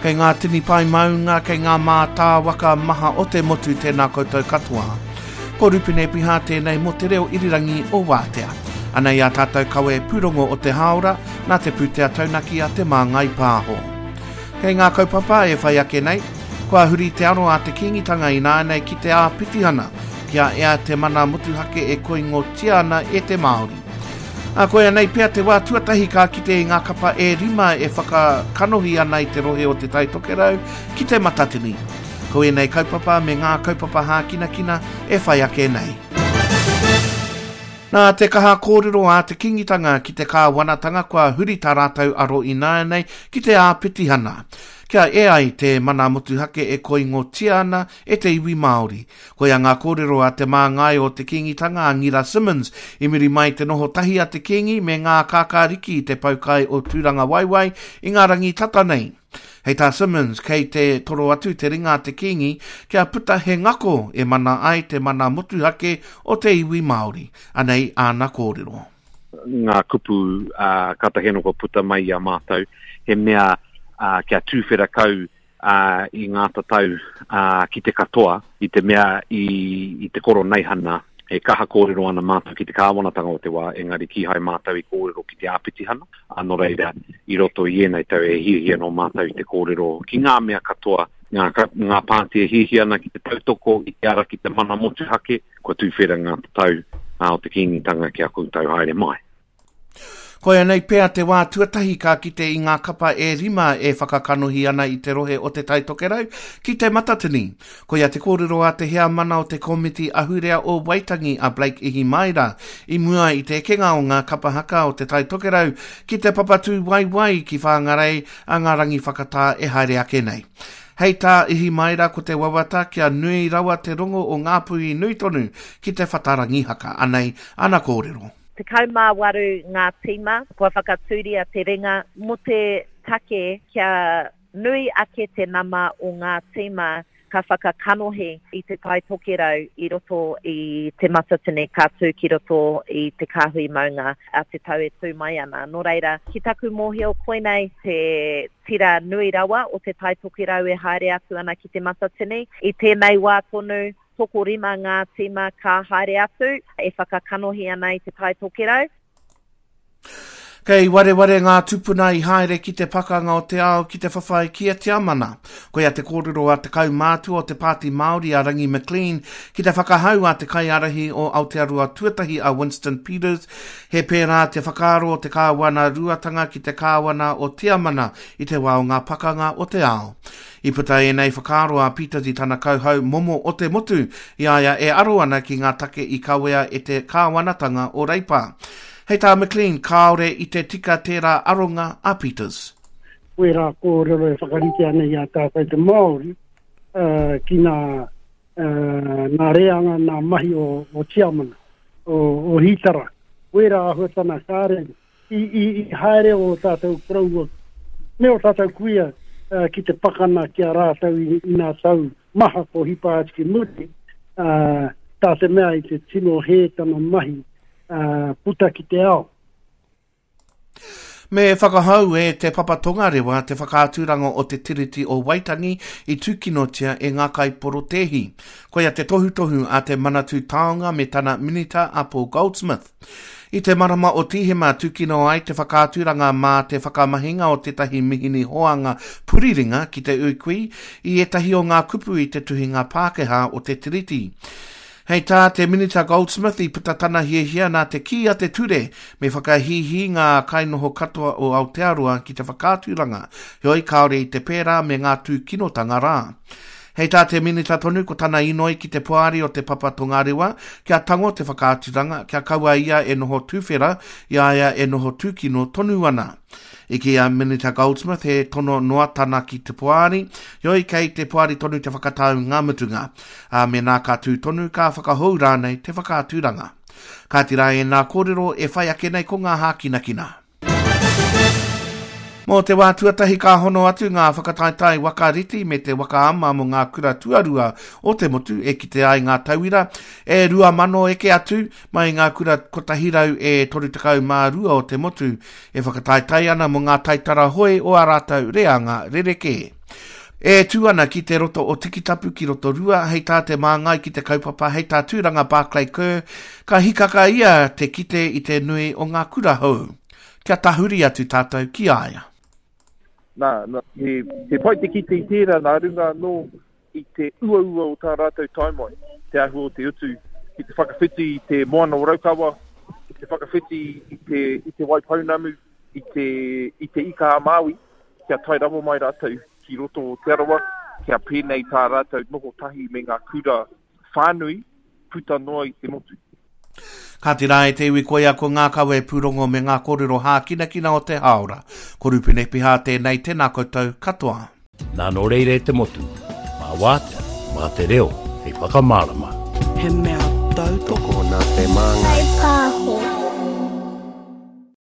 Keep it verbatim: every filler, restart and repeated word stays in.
Kei ngā tini pae maunga, kei ngā mātāwaka maha o te motu tēnā koutou katoa. Ko Rupene Piha tēnei mō te reo irirangi o Wātea. Anei a tātou kawe pūrongo o te hāora, nā te pūtea taunaki a Te Māngai Pāho. Kei ngā kaupapa e whai ake nei, kua huri te aro a te Kīngitanga ināianei ki te āpitihana, kia ea te mana motuhake e koingotia ana e te Māori. A koia nei pea te wā tuatahi ka kite i ngā kapa e rima e whakakanohi ana i te rohe o Te Tai Tokerau ki te Matatini. Ko ēnei kaupapa me ngā kaupapa hākinakina e whai ake nei. Nā te kaha kōrero a te Kīngitanga ki te kāwanatanga kua huri tā rātou aro ināianei ki te āpitihana. Kia e ai te mana motuhake e koingotia ana e te iwi Māori. Koia ngā kōrero a te māngai o te Kīngitanga a Ngira Simmons i muri mai te noho tahi a te Kīngi me ngā kākāriki i te poukai o Tūrangawaewae i ngā rangi tata nei. Hei tā Simmons, kei te toro atu te ringa a te Kīngi kia puta he ngako e mana ai te mana motuhake o te iwi Māori. Anei āna kōrero. Ngā kupu uh, kātahi anō kua puta mai i a mātou, he mea uh, kia tūwhera kau uh, i ngā tatau uh, ki te katoa, i te mea i, i te koroneihana, e kaha kōrero ana mātou ki te kāwanatanga o te wā, engari kīhai mātou i kōrero ki te āpitihana. A nō reira, i roto i ēnei tau e hiahia nō mātou i te kōrero ki ngā mea katoa, ngā, ngā pāti e hiahia ana ki te tautoko i te ara ki te mana motuhake, kua tūwhera ngā tatau uh, o te Kīngitanga ki a koutou haere mai. Koia nei pea te wā tuatahi ka kite i ngā kapa e rima e whakakanohi ana i te rohe o Te Tai Tokerau ki te Matatini. Koia te kōrero a te heamana o te Komiti Ahurea o Waitangi a Blake Ihimaera i mua i te ekenga o ngā kapa haka o Te Tai Tokerau ki te papatū waiwai ki Whangarei a ngā rangi whakatā e haere ake nei. Hei tā Ihimaera ko te wawata kia nui rawa te rongo o ngā puhi nui tonu ki te whatarangi haka. Anei, ana kōrero. Tekau mā waru ngā tīma, kua whakatūria te ringa mō te take kia nui ake te nama o ngā tīma ka whakakanohi i Te Tai Tokerau i roto i te Matatini ka tū ki roto i te kāhui maunga a te tau e tū mai ana. Nō reira, ki taku mōhio koinei te tira nui rawa o Te Tai Tokerau e haere atu ana ki te Matatini. I tēnei wā tonu, tokorima ngā tīma ka haere atu e whakakanohi ana i Te Tai Tokerau. Kei wareware ngā tupuna i haere ki te pakanga o te ao ki te whawhai ki a Tiamana. Koia te kōrero a te kaumātua o te Pāti Māori a Rangi McLean ki te whakahau a te kaiārahi o Aotearoa tuatahi a Winston Peters. He pērā te whakaaro o te kāwana ruatanga ki te kāwana o Tiamana i te wā o ngā pakanga o te ao. I puta ēnei whakaaro a Peters i tana kauhau momo o te motu i a ia e aro ana ki ngā take i kawea e te kāwanatanga o Reipa. Hei tā McLean, kāore i te tika tērā aronga a Peters. Wērā kōrero e whakarite ana i a tātou te Māori uh, ki ngā, uh, ngā reanga, ngā mahi o, o Tiamana, o, o Hitara. Wērā āhuatana kāre i, i, i haere o tātou koroua me o tātou kuia uh, ki te pakana ki a rātou i, i ngā tau maha ko hipa atu ki muri, uh, tā te mea i te tino hē tana mahi Uh, puta ki te ao. Me whakahau e te Papa Tongarewa te whakaaturanga o te Tiriti o Waitangi i tūkinotia e ngā kaiporotēhi. Koia te tohutohu a te Manatū Taonga me tana minita a Paul Goldsmith. I te marama o Tīhema tūkino ai te whakaaturanga mā te whakamahinga o tētahi mihini hoanga puriringa ki te uikui i ētahi o ngā kupu i te tuhinga Pākehā o te Tiriti. Hei tā te Minita Goldsmith i puta tana hiahia nā te kī a te ture me whakahīhī ngā kainoho katoa o Aotearoa ki te whakaaturanga, heoi kāore i te pērā me ngā tūkinotanga rā. Hei tā te Minita tonu ko tana inoi ki te poari o te Papa Tongarewa kia tango te whakaaturanga, kia kaua ia e noho tūwhera, i a ia e noho tūkino tonu ana. I ki a Minita Goldsmith he tono noa tana ki te poari, heoi kei te poari tonu te whakatau ngā mutunga. A mēnā ka tū tonu ka whakahou rānei te whakaaturanga. Ka tira e nā kōrero e whai ake nei ko ngā hākinakina. Mō te wā tuatahi ka hono atu ngā whakataetae waka riti me te waka ama mō ngā kura tuarua o te motu e kite ai ngā tauira e rua mano eke atu mai ngā kura kotahi rau e toru tekau mā rua o te motu e whakataetae ana mō ngā taitara hoe o ā rātou reanga rerekē. E tū ana ki te roto o Tikitapu ki Rotorua, hei tā te māngai ki te kaupapa, hei tā Tūranga Barclay Kerr, ka hikaka ia te kite i te nui o ngā kura hou. Kia tahuri atu tātou ki a ia. Nā, nā, he, he pai te kite i tērā nā runga anō i te uaua o tā rātou tae mai, te āhua o te utu ki te whakawhiti i te moana o Raukawa, ki te whakawhiti i te, i te Waipounamu, i te, i te Ika a Māui, kia tae rawa mai rātou ki roto o Te Arawa, kia pēnei tā rātou noho tahi me ngā kura whānui puta noa i te motu. Kāti rā e te iwi koia ko ngā kawe pūrongo me ngā kōrero hākinakina o te hāora. Ko Rupene Piha tēnei, tēnā koutou katoa. Nā nō reira e te motu, mā wātea, mā te reo, hei whakamārama. He mea tautoko Tokona te māngai.